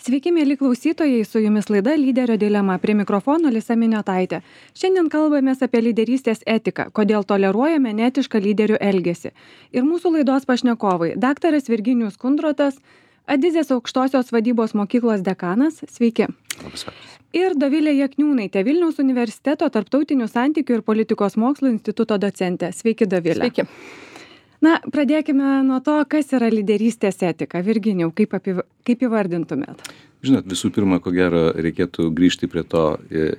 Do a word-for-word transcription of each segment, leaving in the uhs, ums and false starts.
Sveiki, mėly klausytojai, su jumis laida Lyderio dilema, prie mikrofono Lisa Miniotaitė. Šiandien kalbamės apie lyderystės etiką, kodėl toleruojame neetišką lyderių elgesį. Ir mūsų laidos pašnekovai – daktaras Virginijus Kundrotas, Adizės aukštosios vadybos mokyklos dekanas, sveiki. Ir Dovilė Jakniūnaitė, Vilniaus universiteto tarptautinių santykių ir politikos mokslų instituto docentė. Sveiki, Dovilė. Sveiki. Na, pradėkime nuo to, kas yra lyderystės etika. Virginijau, kaip, apiv... kaip įvardintumėt? Žinot, visų pirma, ko gero, reikėtų grįžti prie to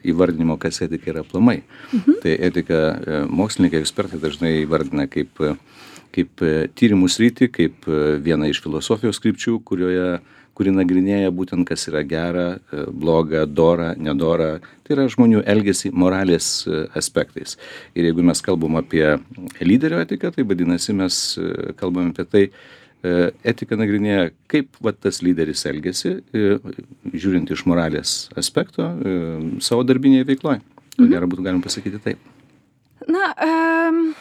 įvardinimo, kas etika yra aplamai. Mhm. Tai etika mokslininkai, ekspertai dažnai įvardina kaip, kaip tyrimų sritį, kaip vieną iš filosofijos krypčių, kurioje kuri nagrinėja būtent, kas yra gera, bloga, dora, nedora. Tai yra žmonių elgesį moralės aspektais. Ir jeigu mes kalbam apie lyderio etiką, tai vadinasi, mes kalbam apie tai, etika nagrinėja, kaip va, tas lyderis elgesi, žiūrint iš moralės aspekto, savo darbinėje veikloje. Ko gero būtų galima pasakyti taip. Na, um...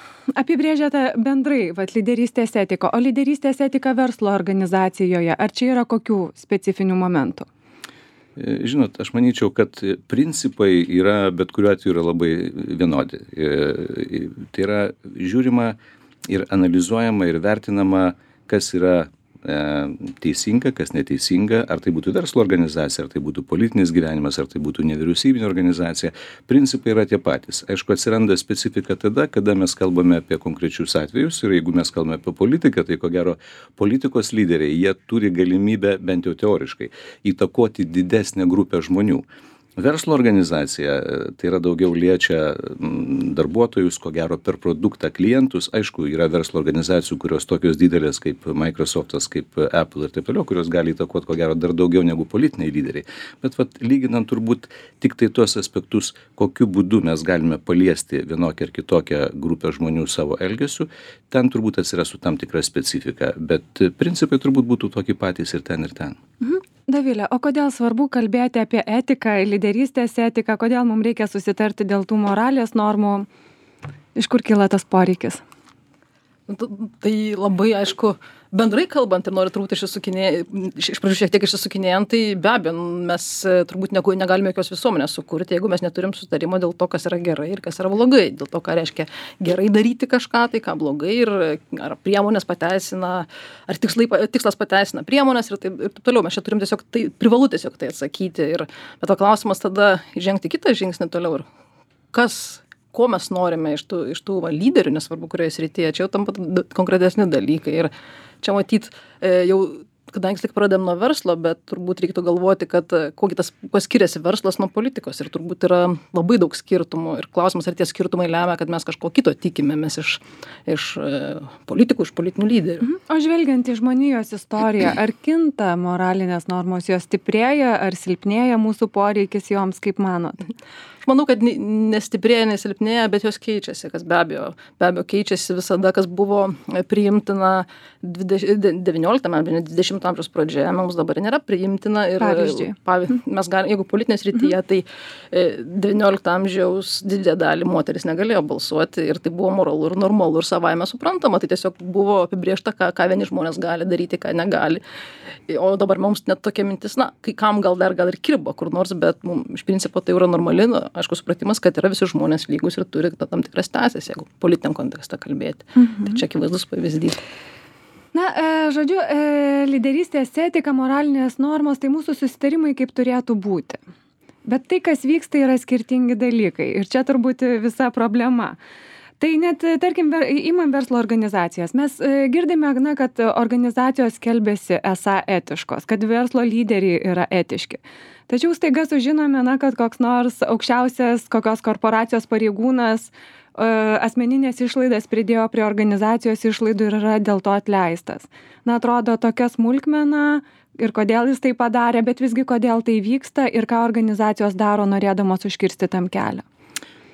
apibrėžiate bendrai vat, lyderystės etiką, o lyderystės etika verslo organizacijoje, ar čia yra kokių specifinių momentų? Žinot, aš manyčiau, kad principai yra, bet kuriuo atveju yra labai vienodi. Tai yra žiūrima ir analizuojama ir vertinama, kas yra teisinga, kas neteisinga, ar tai būtų verslo organizacija, ar tai būtų politinis gyvenimas, ar tai būtų nevyriausybinė organizacija. Principai yra tie patys. Aišku, atsiranda specifika tada, kada mes kalbame apie konkrečius atvejus ir jeigu mes kalbame apie politiką, tai ko gero politikos lyderiai, jie turi galimybę bent jau teoriškai įtakoti didesnę grupę žmonių. Verslo organizacija, tai yra daugiau liečia darbuotojus, ko gero per produktą klientus. Aišku, yra verslo organizacijų, kurios tokios didelės kaip Microsoftas, kaip Apple ir taip toliau, kurios gali įtakoti, ko gero, dar daugiau negu politiniai lyderiai. Bet vat, lyginant turbūt tik tai tuos aspektus, kokiu būdu mes galime paliesti vienokią ar kitokią grupę žmonių savo elgesiu, ten turbūt atsirastų tam tikra specifika. Bet principai turbūt būtų tokie patys ir ten ir ten. Mhm. Dovilė, o kodėl svarbu kalbėti apie etiką, lyderystės etiką, kodėl mums reikia susitarti dėl tų moralės normų, iš kur kyla tas poreikis? Tai labai aišku, bendrai kalbant ir noriu turbūt išsisukinėjant, iš pradžių šiek tiek išsisukinėjant, tai be abejo, mes turbūt negalime jokios visuomenės sukurti, jeigu mes neturim sutarimo dėl to, kas yra gerai ir kas yra blogai, dėl to, ką reiškia gerai daryti kažką, tai ką blogai ir ar priemonės pateisina, ar tikslai, tikslas pateisina priemonės ir taip, ir taip toliau. Mes čia turim tiesiog, tai privalu tiesiog tai atsakyti. Ir, bet to klausimas tada žengti kitą žingsnį toliau ir kas ko mes norime iš tų, iš tų va, lyderių, nesvarbu kurioje srityje, čia jau tampa konkretesni dalykai. Ir čia matyt, e, jau, kadangi tik pradėm nuo verslo, bet turbūt reikėtų galvoti, kad kuo tas, kuo skiriasi verslas nuo politikos. Ir turbūt yra labai daug skirtumų. Ir klausimas, ar tie skirtumai lemia, kad mes kažko kito tikimėmės iš, iš e, politikų, iš politinių lyderių. O žvelgiant į žmonijos istoriją, ar kinta moralinės normos, jos stiprėja, ar silpnėja mūsų poreikis joms, kaip manot? Aš manau, kad nestiprėja, nesilpnėja, bet jos keičiasi, kas be abejo, be abejo keičiasi visada, kas buvo priimtina devynioliktame, dvidešimto amžiaus pradžioje, mums dabar nėra priimtina. Ir, pavyzdžiui. Mes galim, jeigu politinės rytyje, tai devyniolikto amžiaus didelė dalį moteris negalėjo balsuoti ir tai buvo moralu ir normalu ir savaime suprantama, tai tiesiog buvo apibrėžta, ką, ką vieni žmonės gali daryti, ką negali. O dabar mums net tokia mintis, na, kai kam gal dar gal ir kirba kur nors, bet mums iš principo tai yra normali, na, aišku, supratimas, kad yra visi žmonės lygus ir turi tam tikras teisės, jeigu politiniam kontekste kalbėti. Mhm. Tai čia akivaizdus pavyzdys. Na, e, žodžiu, e, lyderystės etika, moralinės normos, tai mūsų susitarimai kaip turėtų būti. Bet tai, kas vyksta, yra skirtingi dalykai. Ir čia turbūt visa problema. Tai net, tarkim, įmam verslo organizacijas. Mes girdime, na, kad organizacijos skelbiasi esą etiškos, kad verslo lyderiai yra etiški. Tačiau staiga sužinome, na, kad koks nors aukščiausias kokios korporacijos pareigūnas asmeninės išlaidas pridėjo prie organizacijos išlaidų ir yra dėl to atleistas. Na, atrodo tokia smulkmena ir kodėl jis tai padarė, bet visgi kodėl tai vyksta ir ką organizacijos daro norėdamos užkirsti tam kelią.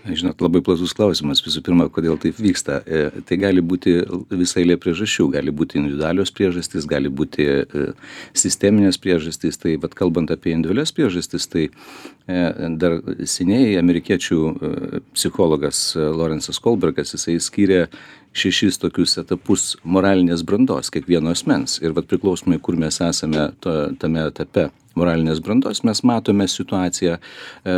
Žinot, labai platus klausimas. Visų pirma, kodėl taip vyksta. E, tai gali būti visai eilė priežasčių. Gali būti individualios priežastys, gali būti e, sisteminės priežastys. Tai, vat, kalbant apie individualias priežastys, tai e, dar seniai amerikiečių e, psichologas Lawrence'as Kohlbergas, jisai skyrė šešis tokius etapus moralinės brandos kiekvieno asmens. Ir vat, priklausomai, kur mes esame to, tame etape moralinės brandos, mes matome situaciją e,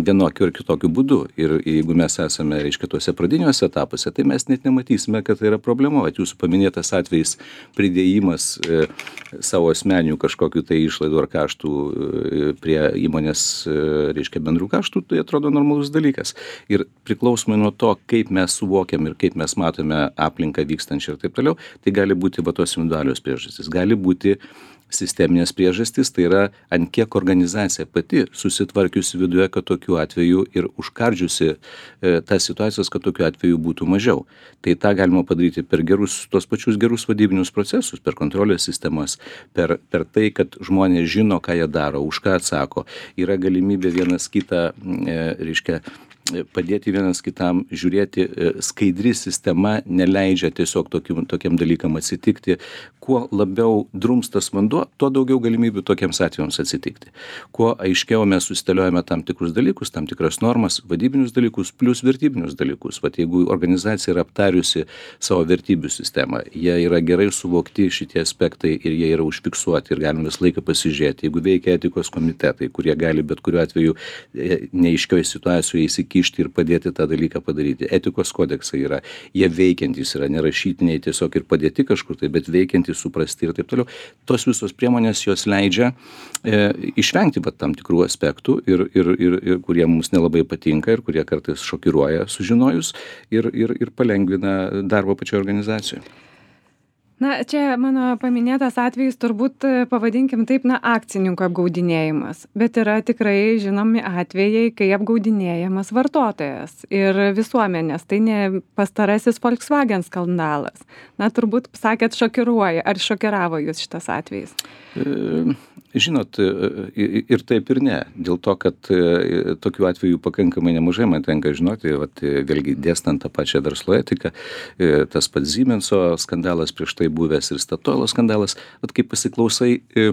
vienokiu ir kitokiu būdu. Ir jeigu mes esame, reiškia, tuose pradiniuose etapuose, tai mes net nematysime, kad tai yra problema. Vat jūsų paminėtas atvejis pridėjimas e, savo asmeninių kažkokių tai išlaidų ar kaštų e, prie įmonės, e, reiškia, bendrų kaštų, tai atrodo normalus dalykas. Ir priklausomai nuo to, kaip mes suvokiam ir kaip mes matome aplinką vykstančią ir taip toliau, tai gali būti va tos individualios priežastys. Gali būti sisteminės priežastys, tai yra ant kiek organizacija pati susitvarkiusi viduje, kad tokiu atveju ir užkardžiusi e, tas situacijas, kad tokiu atveju būtų mažiau. Tai tą galima padaryti per gerus, tos pačius gerus vadybinius procesus, per kontrolės sistemas, per, per tai, kad žmonės žino, ką jie daro, už ką atsako. Yra galimybė vienas kitą, e, reiškia, padėti vienas kitam, žiūrėti, skaidri sistema neleidžia tiesiog tokiam, tokiam dalykam atsitikti. Kuo labiau drumstas vanduo, tuo daugiau galimybių tokiems atvejams atsitikti. Kuo aiškiau mes susiteliojame tam tikrus dalykus, tam tikras normas, vadybinius dalykus, plus vertybinius dalykus. Vat jeigu organizacija yra aptariusi savo vertybių sistemą, jie yra gerai suvokti šitie aspektai ir jie yra užfiksuoti ir galime visą laiką pasižiūrėti. Jeigu veikia etikos komitetai, kurie gali bet kuriuo atveju neaiškioje situacijoje įsikišti ir padėti tą dalyką padaryti. Etikos kodeksai yra, jie veikiantys yra, nerašytiniai tiesiog ir padėti kažkur tai, bet veikiantys, suprasti ir taip toliau. Tos visos priemonės jos leidžia e, išvengti pat tam tikrų aspektų ir, ir, ir, ir kurie mums nelabai patinka ir kurie kartais šokiruoja sužinojus ir, ir, ir palengvina darbą pačioje organizacijoje. Na, čia mano paminėtas atvejis turbūt, pavadinkim taip, na, akcininkų apgaudinėjimas. Bet yra tikrai žinomi atvejai, kai apgaudinėjamas vartotojas ir visuomenės. Tai ne pastarasis Volkswagen skandalas. Na, turbūt sakėt šokiruoja. Ar šokiravo jūs šitas atvejis? E, žinot, ir taip ir ne. Dėl to, kad tokių atvejų pakankamai nemažai man tenka žinoti, vat, vėlgi dėstant tą pačią verslo etiką, tas pats Siemenso skandalas prieš tai buvęs ir Statoilo skandalas, vat kaip pasiklausai e,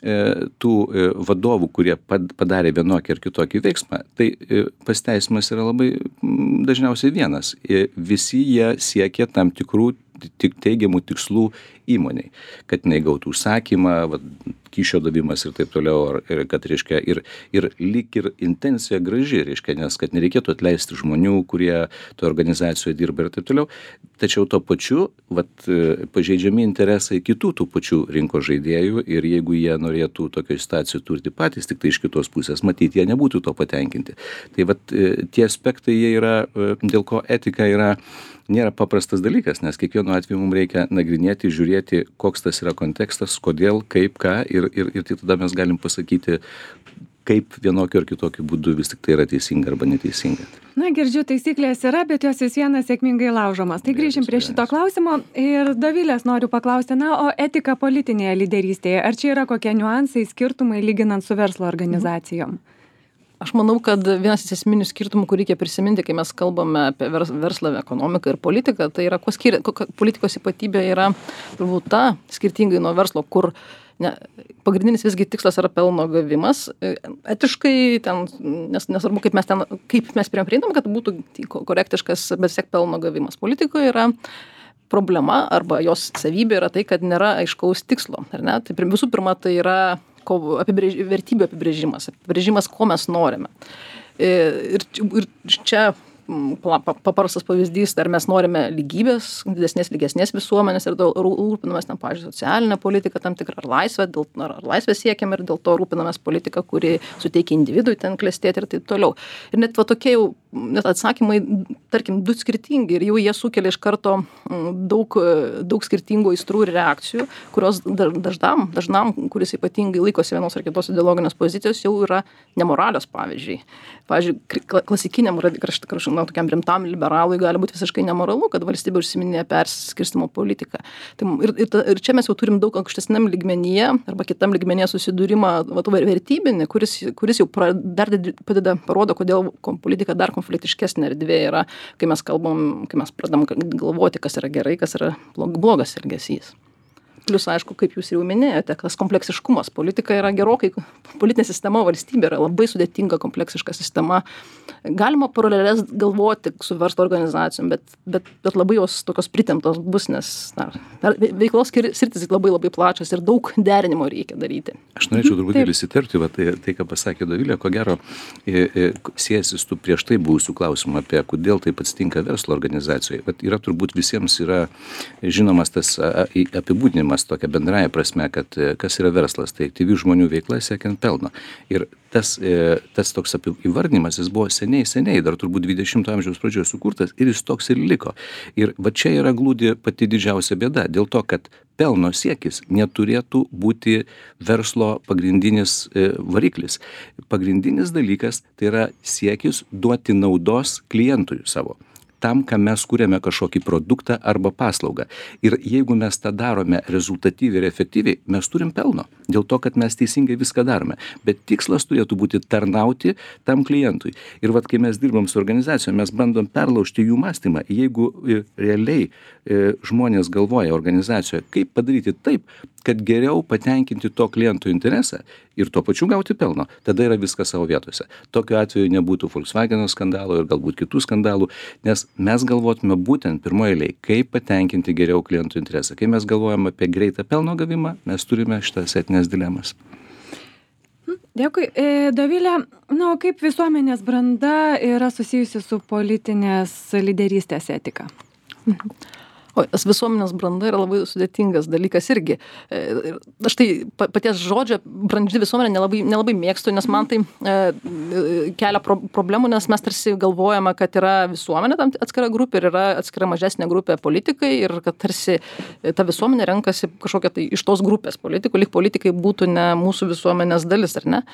e, tų e, vadovų, kurie padarė vienokį ar kitokį veiksmą, tai e, pasiteisimas yra labai m, dažniausiai vienas. E, visi jie siekia tam tikrų tik teigiamų tikslų įmoniai, kad jinai gautų užsakymą, va, kyšio davimas ir taip toliau, ir kad, reiškia, ir, ir lyg ir intencija graži, reiškia, nes kad nereikėtų atleisti žmonių, kurie to organizacijoje dirba ir taip toliau, tačiau to pačiu, vat, pažeidžiami interesai kitų tų pačių rinkos žaidėjų ir jeigu jie norėtų tokio situacijų turti patys, tik tai iš kitos pusės, matyti, jie nebūtų to patenkinti. Tai vat, tie aspektai, jie yra, dėl ko etika yra nėra paprastas dalykas, nes kiekvienu atveju mums reikia nagrinėti, žiūrėti, koks tas yra kontekstas, kodėl, kaip, ką ir, ir, ir tada mes galim pasakyti, kaip vienokiu ar kitokiu būdu vis tik tai yra teisinga arba neteisinga. Na, girdžiu, taisyklės yra, bet jos vis vienas sėkmingai laužomas. Tai grįžim prie šito klausimo ir Dovilės noriu paklausti, na, o etika politinėje lyderystėje, ar čia yra kokie niuansai, skirtumai lyginant su verslo organizacijom? Mhm. Aš manau, kad vienas esminių skirtumų, kur reikia prisiminti, kai mes kalbame apie verslą, ekonomiką ir politiką, tai yra, kuo skiria, politikos ypatybė yra turbūt ta, skirtingai nuo verslo, kur ne, pagrindinis visgi tikslas yra pelno gavimas. Etiškai, ten, nes, nesvarbu, kaip mes, ten, kaip mes prieinam, kad būtų korektiškas, bet siek pelno gavimas. Politikoje yra problema arba jos savybė yra tai, kad nėra aiškaus tikslo. Ar ne? Tai visų pirma, tai yra apibrėž, vertybių apibrėžimas, apibrėžimas, ko mes norime. Ir, ir čia paprastas pavyzdys, ar mes norime lygybės, didesnės, lygesnės visuomenės ir rūpinamės, na, pavyzdžiui, socialinę politiką tam tikrą, ar laisvę, dėl, ar laisvę siekiam ir dėl to rūpinamės politiką, kuri suteikia individui ten klestėti ir taip toliau. Ir net va tokie jau net atsakymai, tarkim, du skirtingi ir jau jie sukelia iš karto daug, daug skirtingų aistrų ir reakcijų, kurios dažnam, dažnam, kuris ypatingai laikosi vienos ar kitos ideologinės pozicijos, jau yra nemoralios, pavyzdžiui. Pavyzdžiui, klasikiniam krašt, na, tokiam rimtam liberalui gali būti visiškai nemoralu, kad valstybė užsiminė perskirstimo politiką. Tai ir, ir, ir čia mes jau turim daug aukštesniam lygmenyje arba kitam lygmenyje susidūrimą va, vertybinį, kuris, kuris jau pra, dar padeda, parodo, kodėl politika dar konfliktiškesnė erdvė yra, kai mes kalbam, kai mes pradam galvoti, kas yra gerai, kas yra blogas elgesys. plius, aišku, kaip jūs jau minėjote, tas kompleksiškumas. Politika yra gerokai, politinė sistema, valstybė yra labai sudėtinga, kompleksiška sistema. Galima paralelės galvoti su verslo organizacijom, bet, bet, bet labai jos tokios pritemptos bus, nes na, veiklos sritis labai labai plačios ir daug derinimo reikia daryti. Aš norėčiau truputėlį įsiterpti, va, tai, tai, ką pasakė Dovilė, ko gero, e, e, siejasi su prieš tai buvusių klausimų apie, kodėl taip atsitinka verslo organizacijoje. Vat yra turbūt visiems yra žinomas tas a, apibūdinimas tokia bendraja prasme, kad kas yra verslas, tai aktyvių žmonių veikla siekiant pelno. Ir tas, e, tas toks įvardinimas, jis buvo seniai, seniai, dar turbūt dvidešimto amžiaus pradžioje sukurtas ir jis toks ir liko. Ir va čia yra glūdi pati didžiausia bėda, dėl to, kad pelno siekis neturėtų būti verslo pagrindinis e, variklis. Pagrindinis dalykas tai yra siekis duoti naudos klientui savo. Tam, kad mes kūrėme kažkokį produktą arba paslaugą. Ir jeigu mes tą darome rezultatyviai ir efektyviai, mes turim pelno. Dėl to, kad mes teisingai viską darome. Bet tikslas turėtų būti tarnauti tam klientui. Ir vat, kai mes dirbam su organizacijom, mes bandom perlaužti jų mąstymą. Jeigu realiai e, žmonės galvoja organizacijoje, kaip padaryti taip, kad geriau patenkinti to kliento interesą ir tuo pačiu gauti pelno, tada yra viskas savo vietose. Tokiu atveju nebūtų Volkswagen skandalo ir galbūt kitų skandalų, nes mes galvotume būtent pirmoje eilėje, kaip patenkinti geriau klientų interesą. Kai mes galvojame apie greitą pelno gavimą, mes turime šitas etinės dilemas. Dėkui. Dovilė, na, o kaip visuomenės branda yra susijusi su politinės lyderystės etika? O tas visuomenės branda yra labai sudėtingas dalykas irgi. Aš tai paties žodžio brandži visuomenė nelabai, nelabai mėgstu, nes man tai e, kelia pro, problemų, nes mes tarsi galvojame, kad yra visuomenė tam atskira grupė ir yra atskira mažesnė grupė politikai ir kad tarsi ta visuomenė renkasi kažkokią tai iš tos grupės politikų, lyg politikai būtų ne mūsų visuomenės dalis, ar ne?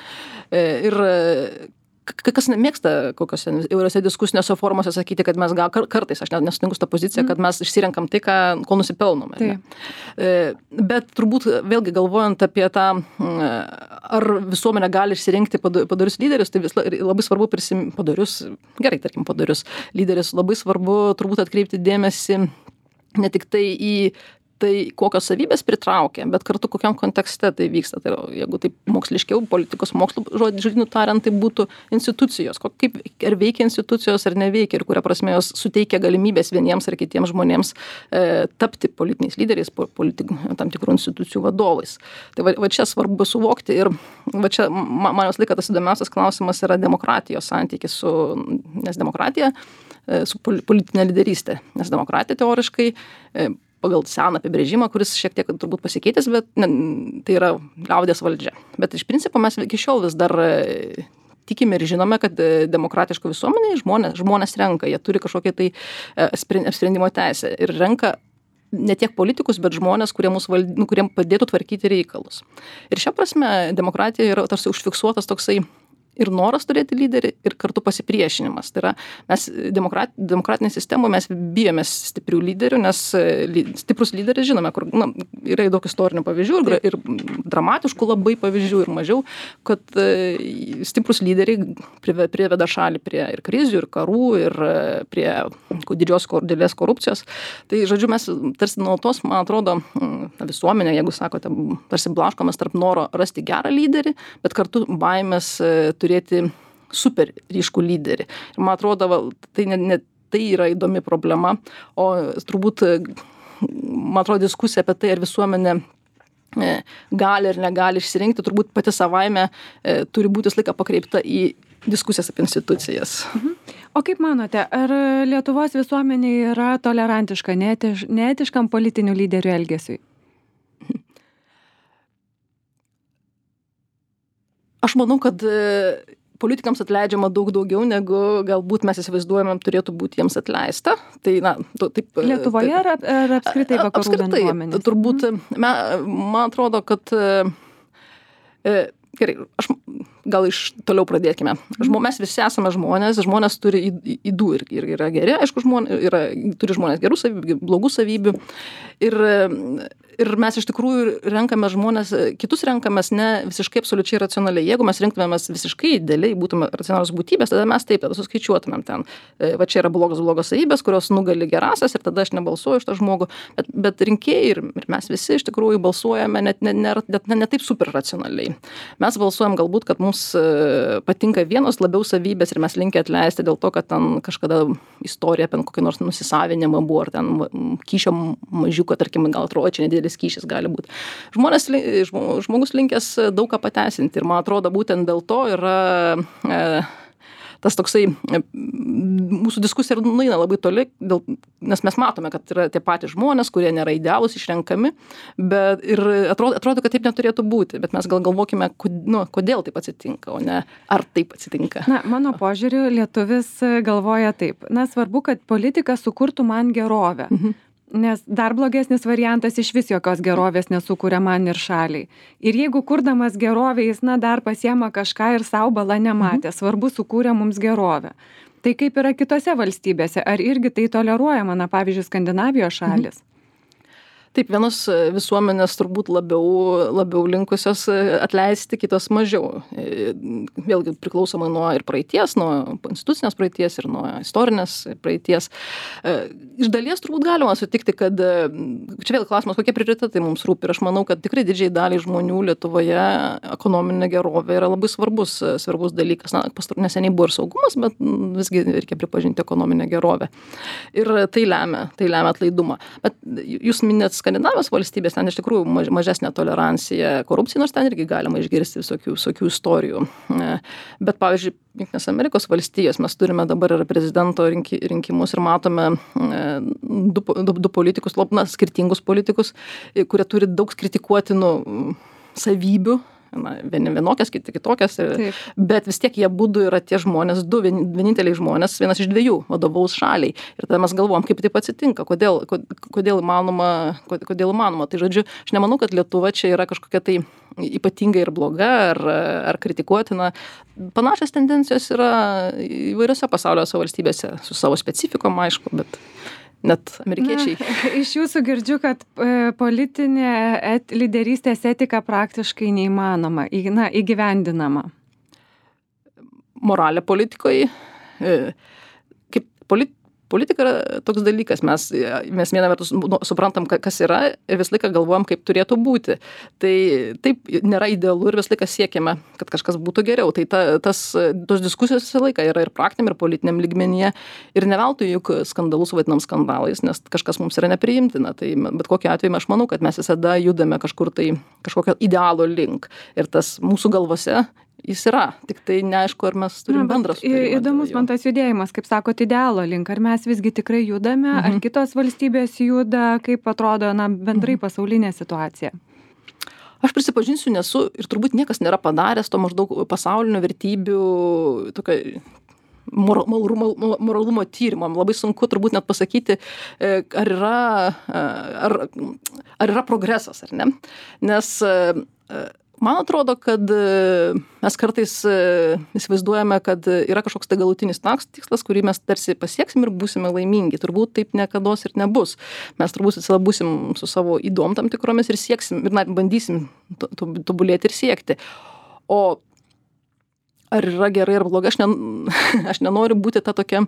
E, ir kas nemėgsta kokiose įvairiose diskusiniuose formuose sakyti, kad mes gal kartais, aš nesutinku su tą poziciją, kad mes išsirenkam tai, ką, ko nusipelnome. Tai. Bet turbūt vėlgi galvojant apie tą, ar visuomenė gali išsirinkti padarius lyderius, tai vis, labai svarbu prisimti padarius, gerai, tarkim, padarius lyderius, labai svarbu turbūt atkreipti dėmesį ne tik tai į tai kokios savybės pritraukia, bet kartu kokiam kontekste tai vyksta. Tai jeigu taip moksliškiau, politikos mokslo žodžiu tariant, tai būtų institucijos. Kaip, ar veikia institucijos, ar neveikia, ir kuria prasme jos suteikia galimybės vieniems ar kitiems žmonėms e, tapti politiniais lyderiais, politik, tam tikrų institucijų vadovais. Tai va, va čia svarbu suvokti ir va čia man, man jos laikas tas įdomiausias klausimas yra demokratijos santykis su, nes demokratija e, su politinė lyderystė, nes demokratija teoriškai e, pagal seną apibrėžimą, kuris šiek tiek turbūt pasikeitęs, bet ne, tai yra liaudės valdžia. Bet iš principo mes iki šiol vis dar tikime ir žinome, kad demokratiško visuomenėje žmonės, žmonės renka, jie turi kažkokią tai apsprendimo teisę ir renka ne tiek politikus, bet žmonės, kurie mūsų vald... kuriem padėtų tvarkyti reikalus. Ir šia prasme demokratija yra tarsi užfiksuotas toksai ir noras turėti lyderį, ir kartu pasipriešinimas. Tai yra, mes demokrat, demokratinėje sistemoje mes bijomės stiprių lyderių, nes stiprus lyderis žinome, kur na, yra daug istorinių pavyzdžių ir, ir dramatiškų labai pavyzdžių ir mažiau, kad e, stiprus lyderiai priveda šalį prie ir krizių, ir karų, ir prie didžios didelės korupcijos. Tai, žodžiu, mes tarsi nuolatos, man atrodo, visuomenė, jeigu sakote, tarsi blaškomės tarp noro rasti gerą lyderį, bet kartu baimės turėti super ryškų lyderį. Ir man atrodo, tai, ne, ne, tai yra įdomi problema, o turbūt, man atrodo, diskusija apie tai, ar visuomenė gali ir negali išsirinkti, turbūt pati savaime e, turi būti visą laiką pakreipta į diskusijas apie institucijas. Mhm. O kaip manote, ar Lietuvos visuomenė yra tolerantiška neetiš, neetiškam politinių lyderių elgesiui? Aš manau, kad politikams atleidžiama daug daugiau, negu galbūt mes įsivaizduojame, turėtų būti jiems atleista. Tai, na, to, taip, Lietuvoje ar, ar apskritai vakarų bendruomenės? Apskritai, turbūt, man, man atrodo, kad e, gerai, aš gal iš toliau pradėkime. Žmo, mes visi esame žmonės, žmonės turi ydų ir, ir yra geri, aišku, žmonės, yra, turi žmonės gerų savybių, blogų savybių. Ir ir mes iš tikrųjų renkame žmones, kitus renkamės ne visiškai absoliučiai racionaliai. Jeigu mes rinktumėmės visiškai idealiai, būtume racionalios būtybės, tada mes taip, tada suskaičiuotumėm ten. Va čia yra blogos blogos savybės, kurios nugali gerasias ir tada aš nebalsuoju už tą žmogų. Bet, bet rinkėjai ir, ir mes visi iš tikrųjų balsuojame net ne, ne, ne, ne, ne taip super racionaliai. Mes balsuojam galbūt, kad mums patinka vienos labiau savybės ir mes linkę atleisti dėl to, kad ten kažkada istorija apie kokį nors nusisavinimą buvo, ar ten kyšio mažiuko, tarkim, gal atrodo, čia nedėlis kyšis gali būti. Žmonės, žmogus linkęs daug ką pateisinti ir man atrodo būtent dėl to yra e, tas toksai, e, mūsų diskusija nueina labai toli, dėl, nes mes matome, kad yra tie patys žmonės, kurie nėra idealūs, išrenkami, bet ir atrodo, atrodo, kad taip neturėtų būti, bet mes gal galvokime, kod, nu, kodėl taip atsitinka, o ne ar taip atsitinka. Na, mano požiūriu, lietuvis galvoja taip. Na, svarbu, kad politika sukurtų man gerovę. Mhm. Nes dar blogesnis variantas iš vis jokios gerovės nesukuria man ir šaliai. Ir jeigu kurdamas gerovę, jis, na, dar pasiema kažką ir savo bala nematė, mhm. svarbu sukūrė mums gerovę. Tai kaip yra kitose valstybėse, ar irgi tai toleruojama, na, pavyzdžiui, Skandinavijos šalis? Mhm. Taip, vienos visuomenės turbūt labiau, labiau linkusios atleisti, kitos mažiau. Vėlgi priklausomai nuo ir praeities, nuo institucinės praeities ir nuo istorinės praeities. Iš dalies turbūt galima sutikti, kad čia vėl klausimas, kokie prioritetai mums rūpi. Ir aš manau, kad tikrai didžiai daliai žmonių Lietuvoje ekonominė gerovė yra labai svarbus, svarbus dalykas. Na, neseniai buvo ir saugumas, bet visgi reikia pripažinti ekonominę gerovę. Ir tai lemia, tai lemia atlaidumą. Bet jūs minėt Skandinavijos valstybės, ten iš tikrųjų maž, mažesnė tolerancija korupcijai, nors ten irgi galima išgirsti visokių, visokių istorijų. Bet, pavyzdžiui, Jungtinės Amerikos valstijos mes turime dabar ir prezidento rinki, rinkimus ir matome du, du, du politikus, na, skirtingus politikus, kurie turi daug kritikuotinų savybių. Na, vienokias, kitokias, Taip. Bet vis tiek jie būdų yra tie žmonės, du vieninteliai žmonės, vienas iš dviejų vadovaus šaliai. Ir tada mes galvom, kaip taip atsitinka, kodėl, kodėl įmanoma, kodėl įmanoma. Tai žodžiu, aš nemanau, kad Lietuva čia yra kažkokia tai ypatinga ir bloga ar, ar kritikuotina. Panašios tendencijos yra įvairiose pasaulio valstybėse, su savo specifikom, aišku, bet net amerikiečiai. Na, iš jūsų girdžiu, kad e, politinė et, lyderystės etika praktiškai neįmanoma, į, na, įgyvendinama. Moralė politikoje, e, kaip polit, politika yra toks dalykas, mes, mes vieną vertus nu, suprantam, kas yra ir vis laiką galvojam, kaip turėtų būti. Tai taip nėra idealu ir vis laiką siekiame, kad kažkas būtų geriau. Tai ta, tas, tos diskusijos visą laiką yra ir praktiniam, ir politiniam lygmenyje. Ir ne veltui juk skandalus vadinam skandalais, nes kažkas mums yra nepriimtina. Tai bet kokiu atveju aš manau, kad mes visada judame kažkur tai kažkokio idealo link. Ir tas mūsų galvose jis yra, tik tai neaišku, ar mes turim bendrą sutarimą. Įdomus man tas judėjimas, kaip sakot, idealo link. Ar mes visgi tikrai judame, mhm. ar kitos valstybės juda, kaip atrodo, na, bendrai mhm. pasaulinė situacija? Aš prisipažinsiu, nesu ir turbūt niekas nėra padaręs to maždaug pasaulinio vertybių tokio moralumo, moralumo tyrimo. Labai sunku turbūt net pasakyti, ar yra, ar, ar yra progresas, ar ne. Nes man atrodo, kad mes kartais įsivaizduojame, kad yra kažkoks tai galutinis tikslas, kurį mes tarsi pasieksim ir būsime laimingi. Turbūt taip niekados ir nebus. Mes turbūt visada būsim su savo įdom tam tikromis ir sieksim, ir na, bandysim tobulėti ir siekti. O ar yra gerai ar blogai, aš, ne, aš nenoriu būti ta tokia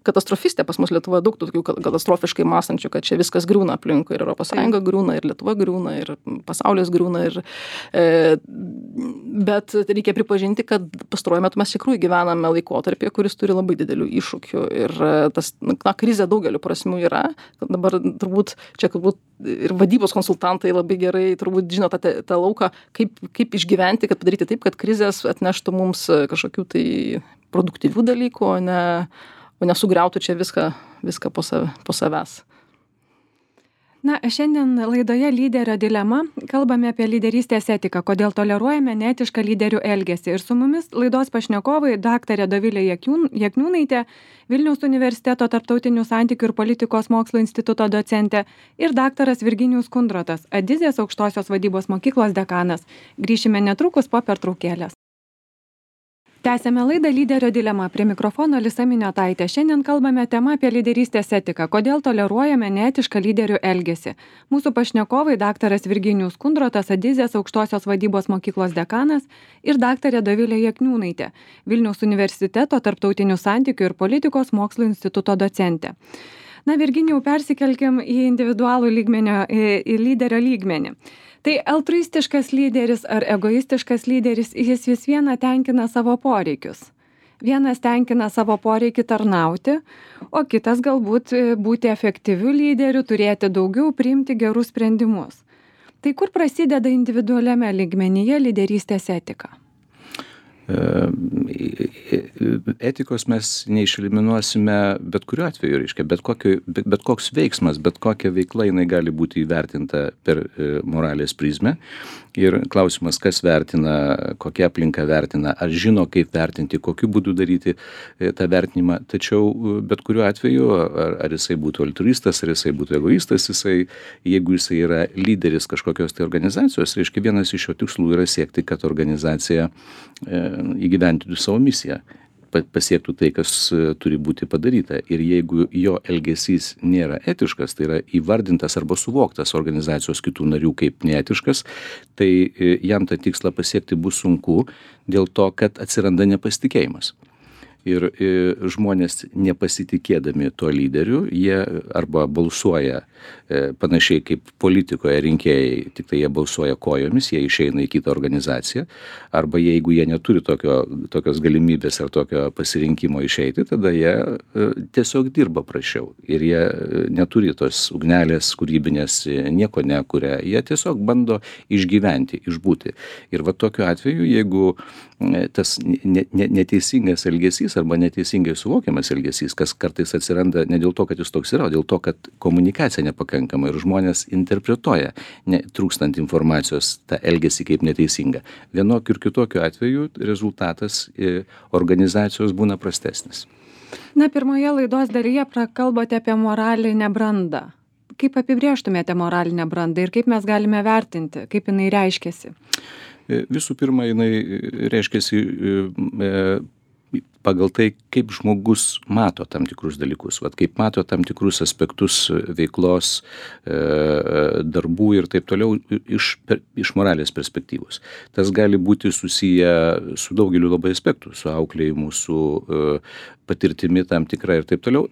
katastrofistė. Pas mus Lietuvoje daug tokių katastrofiškai mąstančių, kad čia viskas griūna aplinkui, ir Europos Sąjunga griūna, ir Lietuva griūna, ir pasaulis griūna. Ir, e, bet reikia pripažinti, kad pastaruoju metu mes iš tikrųjų gyvename laikotarpyje, kuris turi labai didelių iššūkių. Ir tas, na, krizė daugeliu prasmių yra. Dabar turbūt čia turbūt ir vadybos konsultantai labai gerai turbūt žino tą, tą lauką, kaip, kaip išgyventi, kad padaryti taip, kad krizės atneštų mums kažkokių tai produktyvių dalykų, o ne, o nesugriautų čia viską, viską po, save, po savęs. Na, šiandien laidoje Lyderio dilema kalbame apie lyderystės etiką, kodėl toleruojame neetišką lyderių elgesį. Ir su mumis laidos pašnekovai daktarė Dovilė Jakniūnaitė, Vilniaus universiteto tarptautinių santykių ir politikos mokslo instituto docentė, ir daktaras Virginijus Kundrotas, Adizės aukštosios vadybos mokyklos dekanas. Grįšime netrukus po pertraukėlės. Tęsėme laidą Lyderio dilema. Prie mikrofono Alisa Miniotaitė. Šiandien kalbame tema apie lyderystės etiką. Kodėl toleruojame neetišką lyderių elgesį. Mūsų pašnekovai daktaras Virginijus Kundrotas, Adizės aukštosios vadybos mokyklos dekanas ir daktarė Dovilė Jakniūnaitė, Vilniaus universiteto tarptautinių santykių ir politikos mokslų instituto docentė. Na, Virginijau, persikelkim į individualų lygmenio, į, į lyderio lygmenį. Tai altruistiškas lyderis ar egoistiškas lyderis, jis vis viena tenkina savo poreikius. Vienas tenkina savo poreikį tarnauti, o kitas galbūt būti efektyviu lyderiu, turėti daugiau, priimti gerus sprendimus. Tai kur prasideda individualiame lygmenyje lyderystės etika? Etikos mes neišeliminuosime bet kuriuo atveju, reiškia, bet, kokio, bet, bet koks veiksmas, bet kokia veikla jinai gali būti įvertinta per moralės prizmę. Ir klausimas, kas vertina, kokia aplinka vertina, ar žino, kaip vertinti, kokiu būdu daryti tą vertinimą. Tačiau bet kuriuo atveju, ar, ar jisai būtų altruistas, ar jisai būtų egoistas, jisai, jeigu jisai yra lyderis kažkokios tai organizacijos, reiškia, vienas iš jo tikslų yra siekti, kad organizacija e, įgyventintų savo misiją, pasiektų tai, kas turi būti padaryta. Ir jeigu jo elgesys nėra etiškas, tai yra įvardintas arba suvoktas organizacijos kitų narių kaip neetiškas, tai jam tą tikslą pasiekti bus sunku dėl to, kad atsiranda nepasitikėjimas. Ir žmonės nepasitikėdami tuo lyderiu, jie arba balsuoja panašiai kaip politikoje rinkėjai, tik tai jie balsuoja kojomis, jie išeina į kitą organizaciją, arba jeigu jie neturi tokio, tokios galimybės ar tokio pasirinkimo išeiti, tada jie tiesiog dirba prašiau ir jie neturi tos ugnelės kūrybinės, nieko nekuria, jie tiesiog bando išgyventi, išbūti. Ir va tokiu atveju, jeigu tas neteisingas elgesys arba neteisingai suvokiamas elgesys, kas kartais atsiranda ne dėl to, kad jis toks yra, o dėl to, kad komunikacija nepakankama ir žmonės interpretuoja, ne, trūkstant informacijos, tą elgesį kaip neteisingą. Vienokiu ir kitokiu atveju rezultatas organizacijos būna prastesnis. Na, pirmoje laidos dalyje prakalbote apie moralinę brandą. Kaip apibrėžtumėte moralinę brandą ir kaip mes galime vertinti, kaip jinai reiškiasi? Visų pirma, jinai reiškiasi pagal tai, kaip žmogus mato tam tikrus dalykus, vat, kaip mato tam tikrus aspektus veiklos, darbų ir taip toliau iš, iš moralės perspektyvos. Tas gali būti susiję su daugeliu labai aspektų, su auklėjimu, su patirtimi tam tikra ir taip toliau.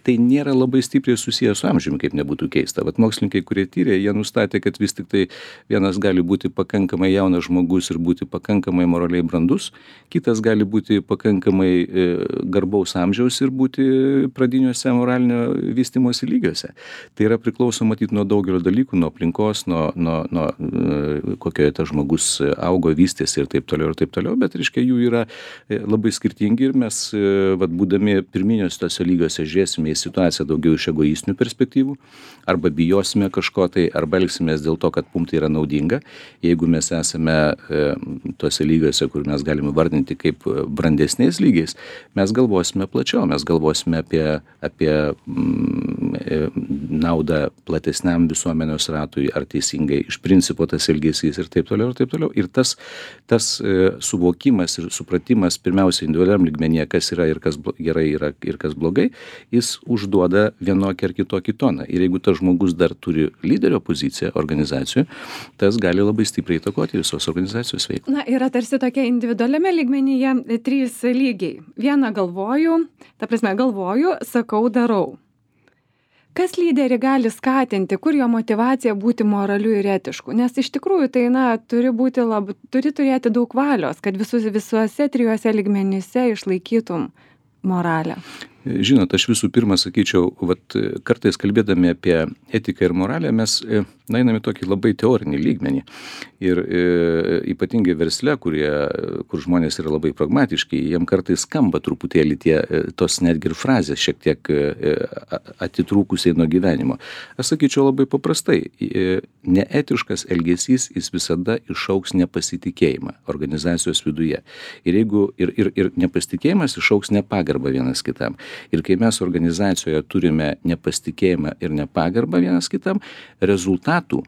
Tai nėra labai stipriai susiję su amžiumi, kaip nebūtų keista. Vat mokslininkai, kurie tyrė, jie nustatė, kad vis tik tai vienas gali būti pakankamai jaunas žmogus ir būti pakankamai moraliai brandus, kitas gali būti pakankamai garbaus amžiaus ir būti pradiniuose moralinio vystymosi lygiuose. Tai yra priklauso matyti nuo daugelio dalykų, nuo aplinkos, nuo, nuo, nuo kokioje tas žmogus augo, vystėsi ir taip toliau ir taip toliau, bet reiškia jų yra labai skirtingi ir mes, vat, būdami pirminiuose tose lygiuose, žiūrėsime į situaciją daugiau iš egoistinių perspektyvų, arba bijosime kažko tai, arba elgsimės dėl to, kad mums tai yra naudinga. Jeigu mes esame tose lygiuose, kur mes galime vardinti kaip brandesniais lygiais, mes galvosime plačiau, mes galvosime apie, apie mm, naudą platesniam visuomenės ratui, ar teisingai iš principo tas elgesys ir taip toliau ir taip toliau. Ir tas, tas e, suvokimas ir supratimas pirmiausia individualiam lygmenyje, kas yra ir kas gerai yra ir kas blogai, jis užduoda vienokį ar kitokį toną. Ir jeigu tas žmogus dar turi lyderio poziciją organizacijoje, tas gali labai stipriai įtakoti visos organizacijos veiklą. Na, yra tarsi tokia individualiame lygmenyje trys lygiai. Vieną galvoju, ta prasme galvoju, sakau, darau. Kas lyderį gali skatinti, kur jo motyvacija būti moraliu ir etišku? Nes iš tikrųjų tai, na, turi būti lab, turi turėti daug valios, kad visus, visuose trijuose lygmenyse išlaikytum moralę. Žinot, aš visų pirma sakyčiau, vat, kartais kalbėdami apie etiką ir moralę, mes na, einame tokį labai teorinį lygmenį. Ir e, ypatingai versle, kurie, kur žmonės yra labai pragmatiški, jiem kartais skamba truputėlį tie, tos netgi ir frazės šiek tiek e, atitrūkusiai nuo gyvenimo. Aš sakyčiau labai paprastai, e, neetiškas elgesys jis visada išauks nepasitikėjimą organizacijos viduje. Ir, jeigu, ir, ir, ir nepasitikėjimas išauks nepagarbą vienas kitam. Ir kai mes organizacijoje turime nepasitikėjimą ir nepagarbą vienas kitam, rezultatų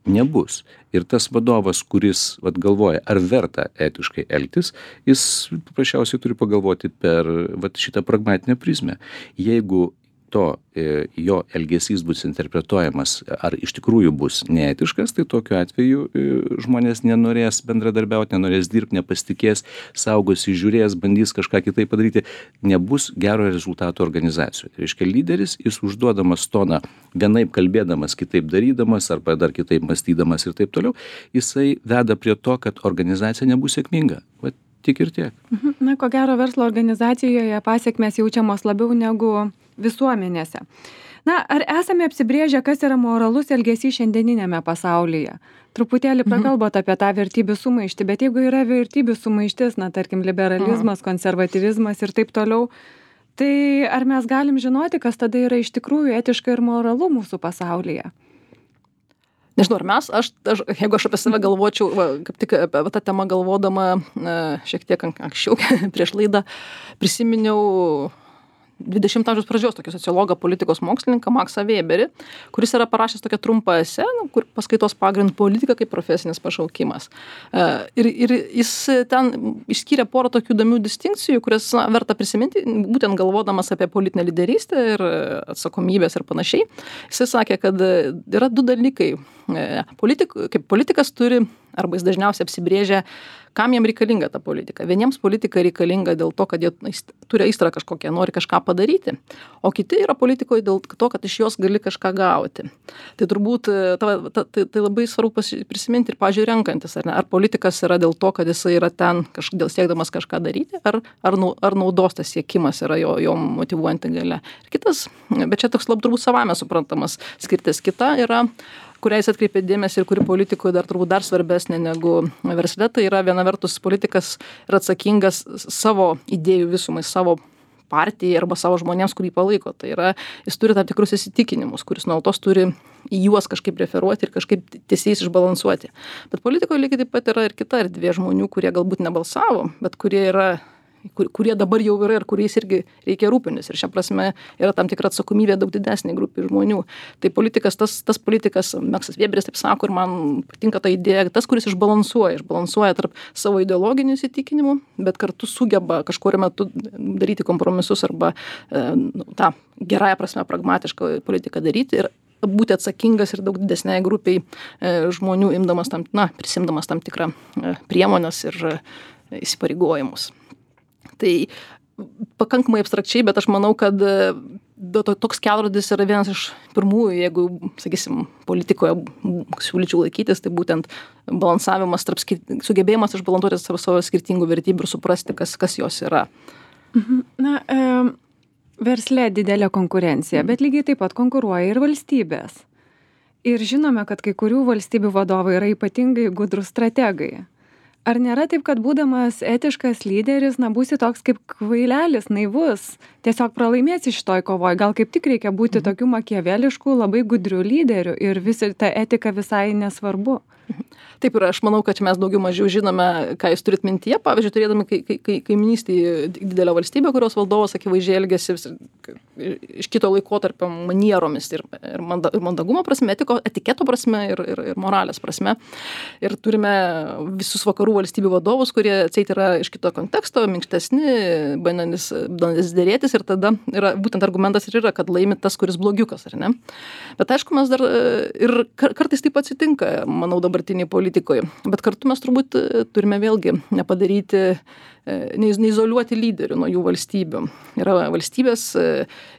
nebus. Ir tas vadovas, kuris vat, galvoja, ar verta etiškai elgtis, jis paprasčiausiai turi pagalvoti per vat, šitą pragmatinę prizmę. Jeigu to e, jo elgesys bus interpretuojamas, ar iš tikrųjų bus neetiškas, tai tokiu atveju e, žmonės nenorės bendradarbiauti, nenorės dirbti, nepasitikės, saugosi, žiūrės, bandys kažką kitaip padaryti, nebus gero rezultato organizacijoje. Tai reiškia, lyderis, jis užduodamas toną, vienaip kalbėdamas, kitaip darydamas, arba dar kitaip mąstydamas ir taip toliau, jisai veda prie to, kad organizacija nebus sėkminga. Vat tik ir tiek. Na, ko gero, verslo organizacijoje pasiekmes jaučiamos labiau negu visuomenėse. Na, ar esame apsibrėžę, kas yra moralus elgesys šiandieninėme pasaulyje? Truputėlį prakalbot apie tą vertybių sumaištį, bet jeigu yra vertybių sumaištis, na, tarkim, liberalizmas, konservatyvizmas ir taip toliau, tai ar mes galim žinoti, kas tada yra iš tikrųjų etiška ir moralu mūsų pasaulyje? Nežinau, ar mes, aš, aš, jeigu aš apie save galvočiau, va, kaip tik apie tą temą galvodama šiek tiek anksčiau, prieš laidą, prisiminiau dvidešimto amžiaus pradžios tokį sociologą, politikos mokslininką Maksą Weberį, kuris yra parašęs tokią trumpą esė, kur paskaitos pagrindu politika kaip profesinis pašaukimas. Ir, ir jis ten išskyrė porą tokių įdomių distinkcijų, kurias na, verta prisiminti, būtent galvodamas apie politinę lyderystę ir atsakomybės ir panašiai. Jis sakė, kad yra du dalykai. Politik, kaip politikas turi, arba jis dažniausiai apsibrėžia, kam jam reikalinga ta politika. Vieniems politika reikalinga dėl to, kad jie turi aistrą kažkokią, nori kažką padaryti, o kiti yra politikoje dėl to, kad iš jos gali kažką gauti. Tai turbūt ta, ta, tai, tai labai svarbu prisiminti ir, pažiūrėjau, renkantis, ar ne, ar politikas yra dėl to, kad jisai yra ten kažkodėl siekdamas kažką daryti, ar, ar, ar naudos tas siekimas yra jo, jo motyvuojanti galia. Ir kitas, bet čia toks labai turbūt savame suprantamas skirtis. Kita yra, kurią jis atkreipė dėmesį ir kuri politikoje dar turbūt dar svarbesnė negu versle, tai yra viena vertus politikas yra atsakingas savo idėjų visumai, savo partijai arba savo žmonėms, kurį palaiko. Tai yra, jis turi tam tikrus įsitikinimus, kuris nuolatos turi į juos kažkaip referuoti ir kažkaip tiesiais išbalansuoti. Bet politikoje lygiai taip pat yra ir kita erdvė žmonių, kurie galbūt nebalsavo, bet kurie yra kur, kurie dabar jau yra ir kuriais irgi reikia rūpintis. Ir šia prasme yra tam tikra atsakomybė daug didesnė grupė žmonių. Tai politikas, tas, tas politikas, Maksas Weberis taip sako, ir man patinka ta idėja, tas, kuris išbalansuoja, išbalansuoja tarp savo ideologinių įsitikinimų, bet kartu sugeba kažkuriuo metu daryti kompromisus arba e, tą gerąją prasme pragmatišką politiką daryti ir būti atsakingas ir daug didesniai grupiai e, žmonių, imdamas tam, na, prisimdamas tam tikrą e, priemonės ir e, įsipareigojimus. Tai pakankamai abstrakčiai, bet aš manau, kad toks kelrodis yra vienas iš pirmųjų, jeigu, sakysim, politikoje siūlyčiau laikytis, tai būtent balansavimas tarp skir... sugebėjimas išbalansuoti tarp savo skirtingų vertybių ir suprasti, kas, kas jos yra. Na, e, versle didelė konkurencija, bet lygiai taip pat konkuruoja ir valstybės. Ir žinome, kad kai kurių valstybių vadovai yra ypatingai gudrūs strategai. Ar nėra taip, kad būdamas etiškas lyderis, na, būsi toks kaip kvailelis, naivus, tiesiog pralaimėsi šitoj kovoj? Gal kaip tik reikia būti mhm. tokių makiaveliškų, labai gudrių lyderių ir visi ta etika visai nesvarbu? Taip ir aš manau, kad mes daugiau mažiau žinome, ką jūs turit mintyje. Pavyzdžiui, turėdami kai, kai, kai, kaiminystį didelę valstybę, kurios valdovas akivaizdžiai elgėsi iš kito laikotarpio manieromis ir, ir, manda, ir mandagumo prasme, etiko, etiketo prasme ir, ir, ir moralės prasme. Ir turime visus vakarų valstybių vadovus, kurie atseit yra iš kito konteksto, minkštesni, bandantis dėrėtis ir tada yra, būtent argumentas ir yra, kad laimi tas, kuris blogiukas, ar ne? Bet aišku, mes dar ir kartais taip atsitinka, manau, dabartiniai politikoje. Bet kartu mes turbūt turime vėlgi nepadaryti, neizoliuoti lyderių nuo jų valstybių. Yra valstybės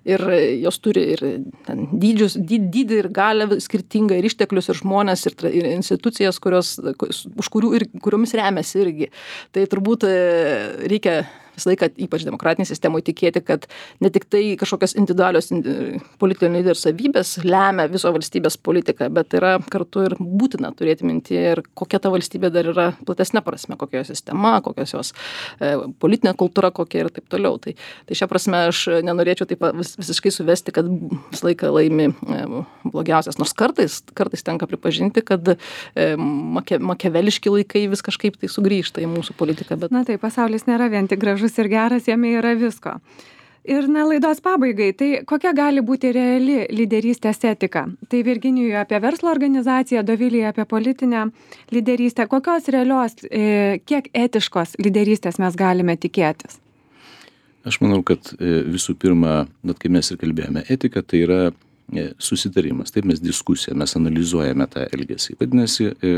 ir jos turi ir ten dydžius, dyd, dydį ir galę skirtingą ir išteklius ir žmonės ir, ir institucijas, kurios, už kurių ir kuriomis remiasi irgi. Tai turbūt reikia visą laiką, ypač demokratinėje sistemoje, tikėti, kad ne tik tai kažkokios individualios politinio lyderio savybės lemia viso valstybės politiką, bet yra kartu ir būtina turėti mintyje ir kokia ta valstybė dar yra platesnė prasme, kokia jos sistema, kokios jos e, politinė kultūra kokia ir taip toliau. Tai, tai šią prasme aš nenorėčiau taip vis, visiškai suvesti, kad visą laiką laimi e, blogiausias. Nors kartais, kartais tenka pripažinti, kad e, make, makeveliški laikai vis kažkaip tai sugrįžta į mūsų politiką. Bet... Na tai pasaulis nėra vien tik gražus ir geras, jame yra visko. Ir na, laidos pabaigai, tai kokia gali būti reali lyderystės etika? Tai Virginijui apie verslo organizaciją, Dovilei apie politinę lyderystę. Kokios realios, e, kiek etiškos lyderystės mes galime tikėtis? Aš manau, kad e, visų pirma, net kai mes ir kalbėjome, etika tai yra e, susitarimas, taip mes diskusiją, mes analizuojame tą elgesį. Vadinasi, e,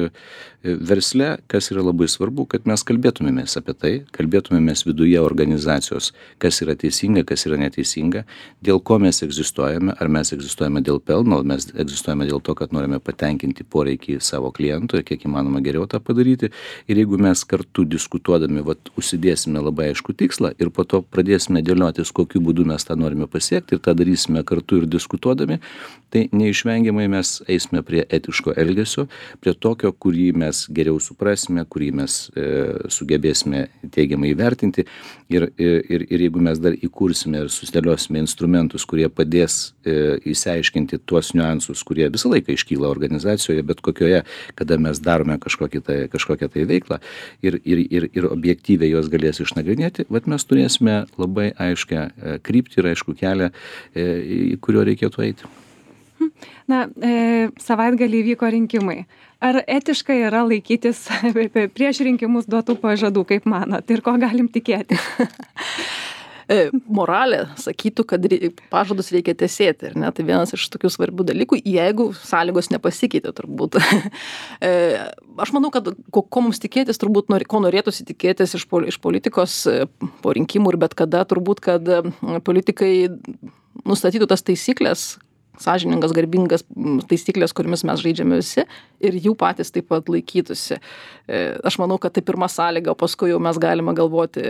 e, versle, kas yra labai svarbu, kad mes kalbėtumėmės apie tai, kalbėtumėmės viduje organizacijos, kas yra teisinga, kas yra neteisinga, dėl ko mes egzistuojame, ar mes egzistuojame dėl pelno, ar mes egzistuojame dėl to, kad norime patenkinti poreikį savo klientų ir kiek įmanoma geriau tą padaryti. Ir jeigu mes kartu diskutuodami, vat, užsidėsime labai aišku tikslą ir po to pradėsime dėliotis, kokiu būdu mes tą norime pasiekti ir tą darysime kartu ir diskutuodami, tai neišvengiamai mes eisime prie etiško elgesio, prie tokio, kurį mes geriau suprasime, kurį mes e, sugebėsime teigiamai įvertinti ir, ir, ir jeigu mes dar įkursime ir susidėliosime instrumentus, kurie padės e, įsiaiškinti tuos niuansus, kurie visą laiką iškyla organizacijoje, bet kokioje, kada mes darome kažkokią tai, kažkokią tai veiklą ir, ir, ir, ir objektyviai jos galės išnagrinėti, vat mes turėsime labai aiškę e, kryptį ir aišku kelią, e, į kurio reikėtų eiti. Na, e, savaitgalį vyko rinkimai. Ar etiška yra laikytis prieš rinkimus duotų pažadų, kaip manot, ir ko galim tikėti? Moralė sakytų, kad pažadus reikia tesėti, ir ne, tai vienas iš tokių svarbių dalykų, jeigu sąlygos nepasikeitė turbūt. Aš manau, kad ko, ko mums tikėtis, turbūt, ko norėtųsi tikėtis iš, iš politikos po rinkimų ir bet kada, turbūt, kad politikai nustatytų tas taisyklės, sąžiningas, garbingas taisyklės, kuriamis mes žaidžiame visi ir jų patys taip pat laikytųsi. Aš manau, kad tai pirma sąlyga, o paskui jau mes galime galvoti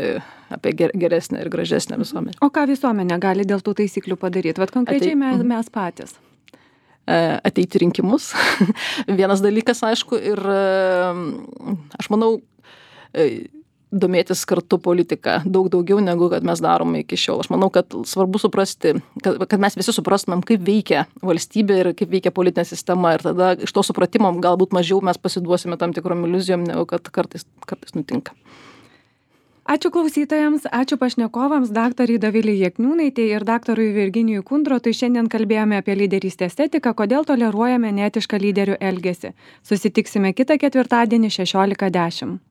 apie geresnę ir gražesnę visuomenę. O ką visuomenė gali dėl tų taisyklių padaryti? Vat konkrečiai Atei... mes, mes patys. Ateiti rinkimus. Vienas dalykas, aišku, ir aš manau, domėtis kartu politiką daug daugiau negu kad mes darome iki šiol. Aš manau, kad svarbu suprasti, kad, kad mes visi suprastumėm, kaip veikia valstybė ir kaip veikia politinė sistema. Ir tada iš to supratimo galbūt mažiau mes pasiduosime tam tikrom iliuzijom, negu kad kartais, kartais nutinka. Ačiū klausytojams, ačiū pašnekovams, daktarui Dovilei Jakniūnaitei ir daktarui Virginijui Kundrotui. Šiandien kalbėjome apie lyderystės etiką, kodėl toleruojame neetišką lyderių elgesį. Susitiksime kitą ketvirtadienį šešiolika dešimt.